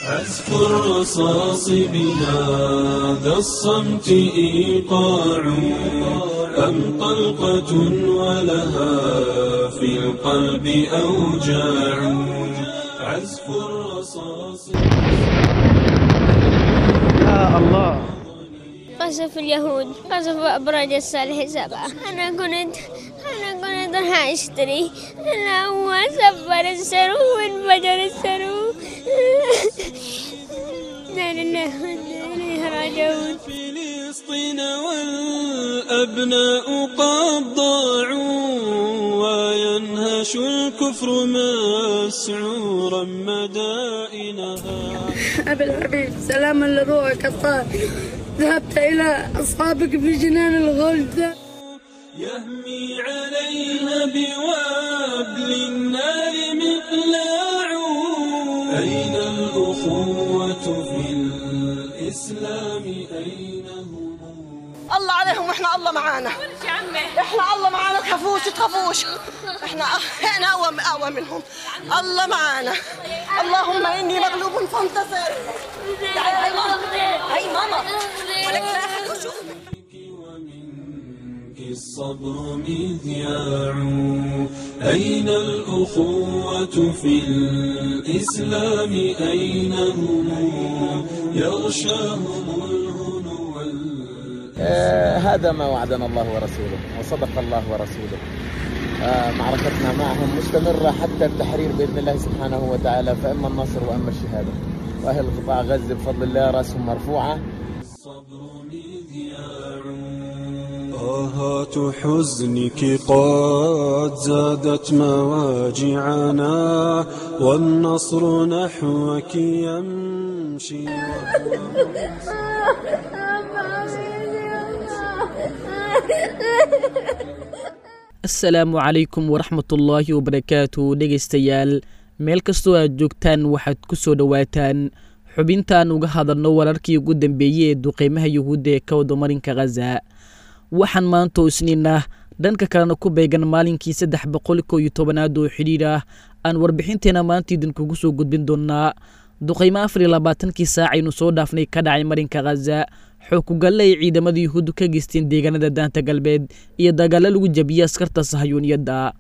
عزف الرصاص بهذا الصمت إيقاع أم طلقة ولها في القلب أوجاع عزف الرصاص. يا الله، قصف اليهود، قصف أبراج الصالح 7. أنا كنت راح أشتري، أنا هو سفر السرو وانفجر السرو. لا لله إليه راجعون. فلسطين والأبناء قد ضاعوا وينهش الكفر مسعورا مدائنها. أبي الحبيب، سلاما لروحك الطاهر، ذهبت إلى أصحابك في جنان الغلد. يهمي عليها بوابل النار مقلاع. أين الأخوة في الإسلام أين هم؟ الله عليهم واحنا الله معانا، احنا الله معانا، تخافوش تخافوش، احنا اقوى منهم، الله معانا. اللهم اني مغلوب فانتصر. تعالي هاي ماما، هاي ماما، ولك لا احد يشوف. الصبر مذياع. أين الأخوة في الإسلام أين هم؟ يغشاهم الهنو. هذا ما وعدنا الله ورسوله وصدق الله ورسوله. معركتنا معهم مستمرة حتى التحرير بإذن الله سبحانه وتعالى، فإما النصر وإما الشهادة. وأهل قطاع غزة بفضل الله رأسهم مرفوعة. الصبر مذياع. آهات حزنك قد زادت مواجعنا والنصر نحوك يمشي. Asalaamu calaykum waraxmatullaahi wabarakaatu. Dhegaystayaal, meel kastoo aad joogtaan waxaad ku soo dhowaataan xubintaan uga hadalno wararkii ugu dambeeyey ee duqeymaha yuhuudda ee ka wada marinka Khaza. Waxaan maanta oo Isniin ah, dhanka kalena ku beegan maalinkii 311aad oo xidhiidh ah, aan warbixinteena maanta idinkugu soo gudbin doonaa duqeymo 24kii saac aynu soo dhaafnay ka dhacay marinka Khaza, xookugalle ay ciidamada yuhuuddu ka geysteen deegaanada Daanta Galbeed iyo dagaallo lagu jabiyey askarta sahayuuniyadda.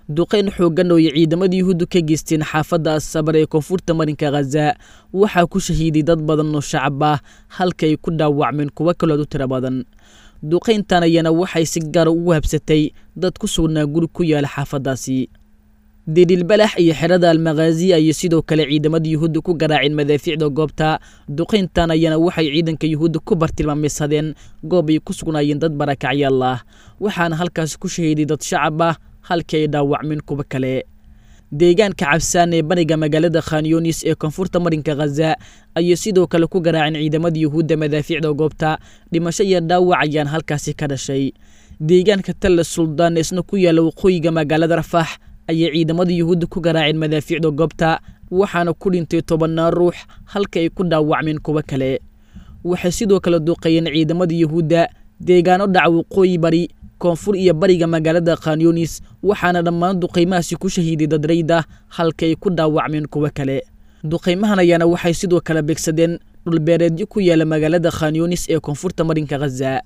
Duqeyn xooggan oo ay ciidamada yuhuuddu ka geysteen xaafadda Asabar ee koonfurta marinka Khaza waxaa ku shahiiday dad badan oo shacab ah, halka ay ku dhaawacmeen kuwo kalood u tiro badan. Duqeyntan ayana waxay si gaara ugu habsatay dad ku sugnaa guri ku yaala xaafaddaasi. Didilbalax iyo xerada Almakhaazi ayay sidoo kale ciidamada yuhuudda ku garaaceen madaafiicda goobta. Duqeyntan ayana waxay ciidanka yuhuudda ku bartilmaameysadeen goob ay ku sugnaayeen dad barakacyaal ah, waxaana halkaasi ku shahiiday dad shacab ah, halkii ay dhaawacmeen kuwo kale. Deegaanka Cabsaan ee bariga magaalada Khanyonis ee koonfurta marinka Khaza ayay sidoo kale ku garaaceen ciidamada yuhuudda madaafiicda goobta. Dhimasho iyo dhaawac ayaan halkaasi ka dhashay. Deegaanka Talla Suldaan isna ku yaala waqooyiga magaalada Rafax ayay ciidamada yuhuudda ku garaaceen madaafiicda goobta, waxaana ku dhintay 10 ruux, halka ay ku dhaawacmeen kuwo kale. Waxay sidoo kale duqeeyeen ciidamada yuhuudda deegaano dhaca waqooyi bari, koonfur iyo bariga magaalada Khanyonis, waxaana dhammaan duqeymahaasi ku shahiiday dad rayd ah, halka ay ku dhaawacmeen kuwo kale. Duqeymahan ayaana waxay sidoo kale beegsadeen dhulbeereedyo ku yaala magaalada Khanyonis ee koonfurta marinka Khaza.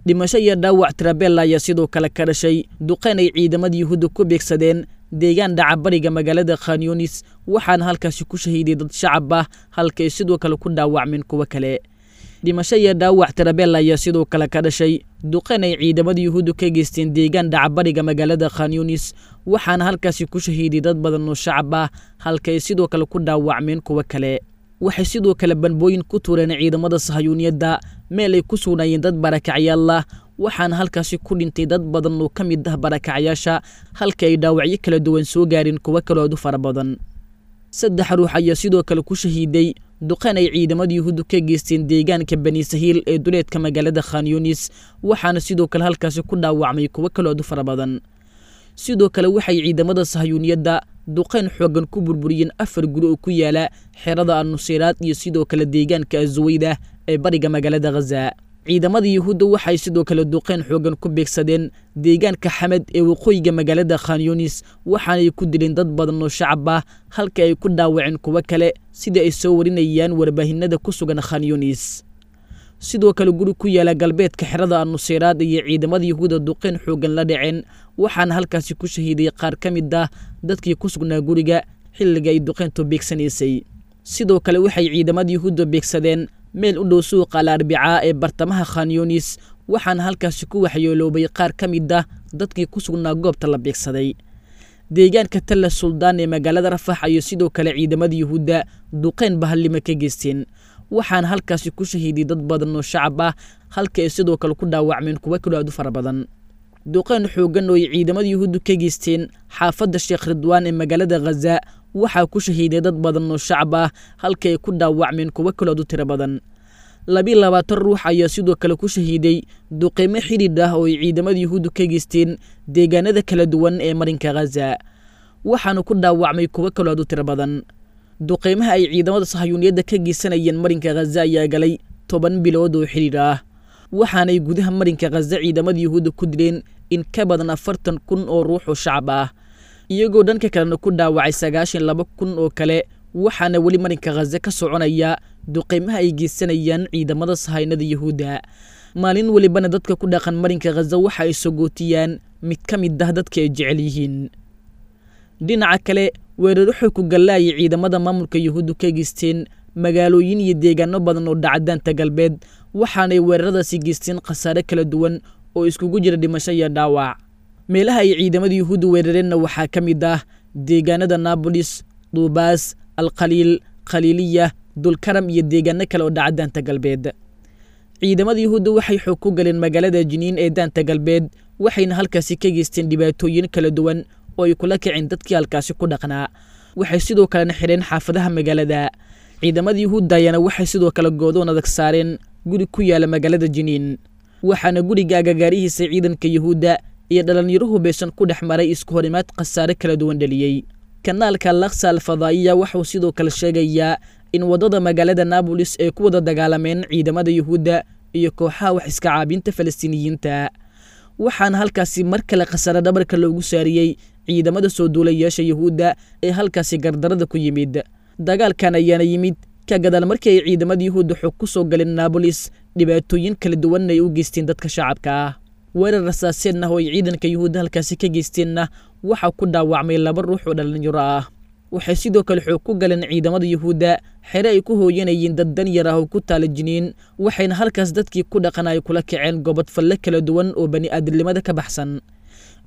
Dhimasho iyo dhaawac Trabella ayaa sidoo kale ka dhashay duqeyn ay ciidamada yuhuudda ku beegsadeen deegaan dhaca bariga magaalada Khanyonis, waxaana halkaasi ku shahiiday dad shacab ah, halka ay sidoo kale ku dhaawacmeen kuwo kale. Dhimasho iyo dhaawac Trabella ayaa sidoo kale ka dhashay duqeyn ay ciidamada yuhuuddu ka geysteen deegaan dhaca bariga magaalada Khanyonis, waxaana halkaasi ku shahiiday dad badan oo shacab ah, halka ay sidoo kale ku dhaawacmeen kuwo kale. Waxay sidoo kale banbooyin ku tuureen ciidamada sahayuuniyadda meel ay ku sugnaayeen dad barakacyaal ah, waxaana halkaasi ku dhintay dad badan oo ka mid ah barakacyaasha, halka ay dhaawacyo kala duwan soo gaareen kuwo kaloo aad u fara badan. 3 ruux ayaa sidoo kale ku shahiiday duqeyn ay ciidamada yuhuuddu ka geysteen deegaanka Bani Sahiil ee duleedka magaalada Khanyonis, waxaana sidoo kale halkaasi ku dhaawacmay kuwo kaloo aad u fara badan. Sidoo kale waxay ciidamada sahayuuniyadda duqeyn xooggan ku burburiyeen 4 guri oo ku yaala xerada An-Nusayraad iyo sidoo kale deegaanka Azuweyda ee bariga magaalada Khaza. Ciidamada Yuhuudda waxay sidoo kale duqeyn xoogan ku beegsadeen deegaanka Xamed ee waqooyiga magaalada Khan Yunis, waxaanay ku dileen dad badan oo shacab ah, halka ay ku dhaawaceen kuwo kale, sida ay soo warinayaan warbaahinada ku sugan Khan Yunis. Sidoo kale guri ku yaala galbeedka xerada An-Nusayraad iyo ciidamada Yuhuudda duqeyn xoogan la dhaceen, waxaana halkaasi ku shahiiday qaar ka mid ah dadkii ku sugnaa guriga xilliga ay duqeyntu beegsanaysay. Sidoo kale waxay ciidamada Yuhuudda beegsadeen meel u dhow suuqa Al Arbicaa ee bartamaha Khan Yunis, waxaana halkaasi ku waxyeeloobay qaar ka mid ah dadkii ku sugnaa goobta la beegsaday. Deegaanka Talla Suldaan ee magaalada Rafax ayay sidoo kale ciidamada Yuhuudda duqeyn bahallimo ka geysteen, waxaana halkaasi ku shahiiday dad badan oo shacab ah, halka ay sidoo kale ku dhaawacmeen kuwo kaloo aad u fara badan. Duqeyn xooggan oo ay ciidamada Yuhuuddu ka geysteen xaafadda Sheekh Ridwaan ee magaalada Ghaza waxaa ku shahiiday dad badan oo shacab ah, halka ay ku dhaawacmeen kuwo kaloo aad u tiro badan. 22 ruux ayaa sidoo kale ku shahiiday duqeymo xidhiidh ah oo ay ciidamada Yuhuuddu ka geysteen deegaanada kala duwan ee marinka Ghaza, waxaana ku dhaawacmay kuwo kaloo aad u tiro badan. Duqeymaha ay ciidamada sahayuuniyadda ka geysanayeen marinka Ghaza ayaa galay 10 bilood oo xidhiidh ah, waxaanay gudaha marinka Ghaza ciidamada Yuhuudda ku dileen in ka badan 40,000 oo ruux oo shacab ah, iyagoo dhanka kalena ku dhaawacay 92,000 oo kale. Waxaana weli marinka Ghaza ka soconaya duqeymaha ay geysanayaan ciidamada sahaynada Yuhuudda. Maalin welibana dadka ku dhaqan marinka Ghaza waxa ay sogootiyaan mid ka mid ah dadka ay jecel yihiin. Dhinaca kale, weeraro xog ku galla ayay ciidamada maamulka Yuhuuddu ka geysteen magaalooyin iyo deegaano badan oo dhaca daanta galbeed, waxaanay weeraradaasi geysteen khasaare kala duwan oo iskugu jira dhimasho iyo dhaawac. Meelaha ay ciidamada Yuhuuddu weerareenna waxaa ka mid ah deegaanada Naabolis, Duubaas, Alkhaliil, Khaliiliya, Dulkaram iyo deegaano kale oo dhaca daanta galbeed. Ciidamada Yuhuudda waxay xoog ku galeen magaalada Jiniin ee daanta galbeed, waxayna halkaasi ka geysteen dhibaatooyin kala duwan oo ay kula kaceen dadkii halkaasi ku dhaqnaa. Waxay sidoo kalena xidheen xaafadaha magaalada. Ciidamada Yuhuudda ayaana waxay sidoo kale goodoon adag saareen guri ku yaala magaalada Jiniin, waxaana guriga agagaarihiisa ciidanka Yuhuudda iyo dhalinyaro hubeysan ku dhex maray isku horimaad khasaare kala duwan dhaliyey. Kanaalka Laksa Al Fadaa'iya wuxuu sidoo kale sheegayaa in waddada magaalada Naabolis ay ku wada dagaalameen ciidamada Yuhuudda iyo kooxaha wax iska caabinta Falastiiniyiinta, waxaana halkaasi mar kale khasaare dhabarka loogu saariyey ciidamada soo duulayaasha Yuhuudda ee halkaasi gardarada ku yimid. Dagaalkan ayaana yimid ka gadaal markii ay ciidamada Yuhuudda xog ku soo galeen Naabolis, dhibaatooyin kala duwanna ay u geysteen dadka shacabka ah. Weerar rasaaseenna oo ay ciidanka Yuhuudda halkaasi ka geysteenna waxaa ku dhaawacmay 2 ruux oo dhalinyaro ah. Waxay sidoo kale xoog ku galeen ciidamada Yuhuudda xere ay ku hooyanayeen dad danyar ah oo ku taala Jiniin, waxayna halkaas dadkii ku dhaqan ay kula kaceen gobod falle kala duwan oo bani'aadamnimada ka baxsan.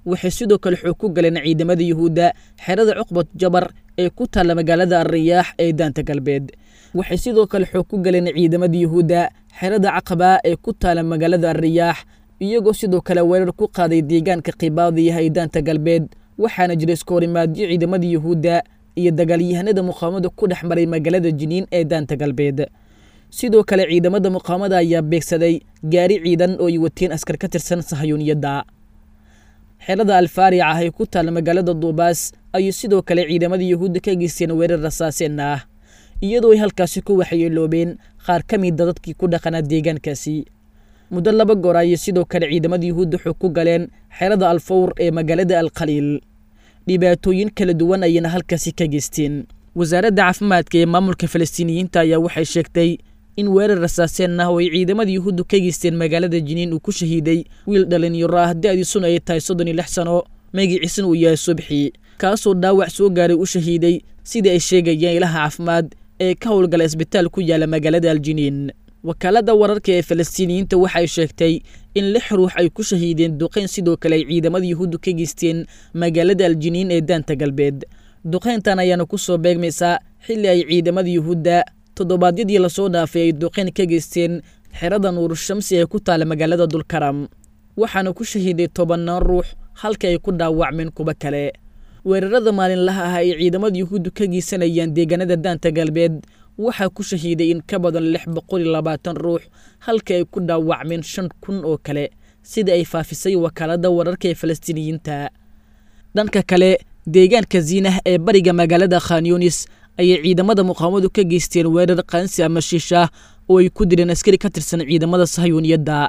Waxay sidoo kale xoog ku galeen ciidamada Yuhuudda xerada Cuqbat Jabar ee ku taala magaalada Ar-Riyaax ee daanta galbeed. Waxay sidoo kale xoog ku galeen ciidamada Yuhuudda xerada Caqaba ee ku taala magaalada Ar-Riyaax, iyagoo sidoo kale weerar ku qaaday deegaanka Qibaadiyaha ee daanta galbeed. Waxaana jira iskoorimaadyo ciidamada Yuhuudda iyo dagaalyahanada muqaawamada ku dhex maray magaalada Jiniin ee daanta galbeed. Sidoo kale ciidamada muqaawamada ayaa beegsaday gaari ciidan oo ay wateen askar ka tirsan sahayuuniyadda. Xerada Alfaarica ah ee ku taala magaalada Duubaas ayay sidoo kale ciidamada Yuhuudda ka geysteen weerar rasaaseen ah, iyadoo ay halkaasi ku waxyeeloobeen qaar ka mid a dadkii ku dhaqanaa deegaankaasi. Muddo 2 goor ayay sidoo kale ciidamada Yuhuudda xog ku galeen xerada Alfawr ee magaalada Alkhaliil. Dhibaatooyin kala duwan ayayna halkaasi ka geysteen. Wasaaradda caafimaadka ee maamulka Falastiiniyiinta ayaa waxay sheegtay in weerar rasaaseen ah oo ay ciidamada Yuhuuddu ka geysteen magaalada Jiniin uu ku shahiiday wiil dhalinyaro ah da'diisuna ay tahay 36 sano, magaciisuna uu yahay Subxi, kaasoo dhaawac soo gaaray u shahiiday sida ay sheegayeen ilaha caafimaad ee ka howlgala isbitaal ku yaala magaalada Aljiniin. Wakaaladda wararka ee Falastiiniyiinta waxay sheegtay in 6 ruux ay ku shahiideen duqeyn sidoo kale ay ciidamada Yuhuuddu ka geysteen magaalada Aljiniin ee daanta galbeed. Duqeyntan ayaana ku soo beegmaysaa xilli ay ciidamada Yuhuudda toddobaadyadii lasoo dhaafay ay duqeyn ka geysteen xerada Nuurushamsi ee ku taala magaalada Dulkaram, waxaana ku shahiiday 10 ruux halka ay ku dhaawacmeen kuwo kale. Weerarada maalinlaha ah ay ciidamada Yuhuuddu ka geysanayaan deegaanada daanta galbeed waxaa ku shahiiday in ka badan 620 ruux, halka ay ku dhaawacmeen 5,000 oo kale, sida ay faafisay wakaaladda wararka ee Falastiiniyiinta. Dhanka kale, deegaanka Ziinah ee bariga magaalada Khan Yunis ayay ciidamada muqaawamadu ka geysteen weerar qaansi ama shiish ah oo ay ku dileen askari ka tirsan ciidamada sahayuuniyadda.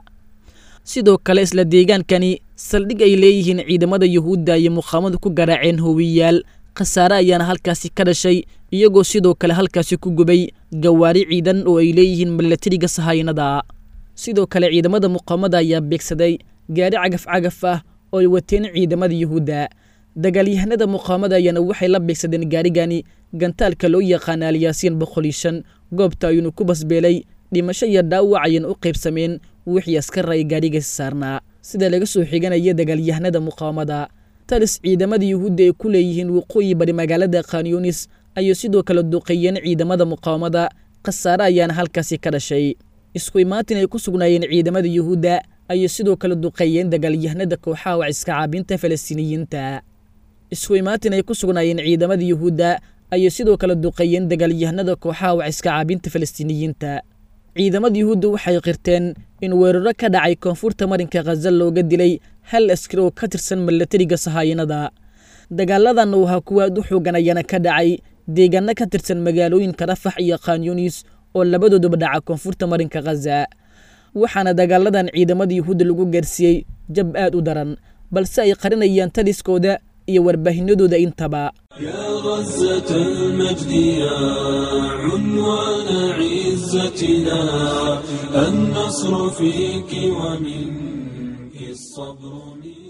Sidoo kale isla deegaankani saldhig ay leeyihiin ciidamada Yuhuudda ayay muqaawamadu ku garaaceen hoowiyaal, khasaare ayaana halkaasi ka dhashay, iyagoo sidoo kale halkaasi ku gubay gawaari ciidan oo ay leeyihiin milatariga sahaynada. Sidoo kale ciidamada muqaawamada ayaa beegsaday gaari cagaf cagaf ah oo ay wateen ciidamada Yuhuudda. Dagaalyahanada muqaawamada ayaana waxay la beegsadeen gaarigani gantaalka loo yaqaana Alyaasiin 105, goobta ayuuna ku basbeelay, dhimasho iyo dhaawac ayayna u qaybsameen wixii askar ay gaarigaasi saarnaa, sida laga soo xiganaya dagaalyahanada muqaawamada. Talis ciidamada Yuhuudda ay ku leeyihiin waqooyi bari magaalada Khanyunis ayay sidoo kale duqeeyeen ciidamada muqaawamada, khasaare ayaana halkaasi ka dhashay. Isku imaatin ay ku sugnaayeen ciidamada Yuhuudda ayay sidoo kale duqeeyeen dagaalyahanada kooxaha wax iska caabinta Falastiiniyiinta. Isku imaatin ay ku sugnaayeen ciidamada Yuhuudda ayay sidoo kale duqeeyeen dagaalyahanada kooxaha wax iska caabinta Falastiiniyiinta. Ciidamada Yuhuudda waxay qirteen in weeraro ka dhacay koonfurta marinka Khaza looga dilay hal askari oo ka tirsan milatariga sahaayinada. Dagaaladan oo ahaa kuwa aad u xoogan ayaana ka dhacay deegaano ka tirsan magaalooyinka Rafax iyo Khanyunis oo labadooduba dhaca koonfurta marinka Khaza, waxaana dagaaladan ciidamada Yuhuudda lagu gaarsiiyey jab aad u daran, balse ay qarinayaan taliskooda iyo warbaahinadooda intaba. يا غزة المجد يا عنوان عزتنا، النصر فيك ومنك الصبر.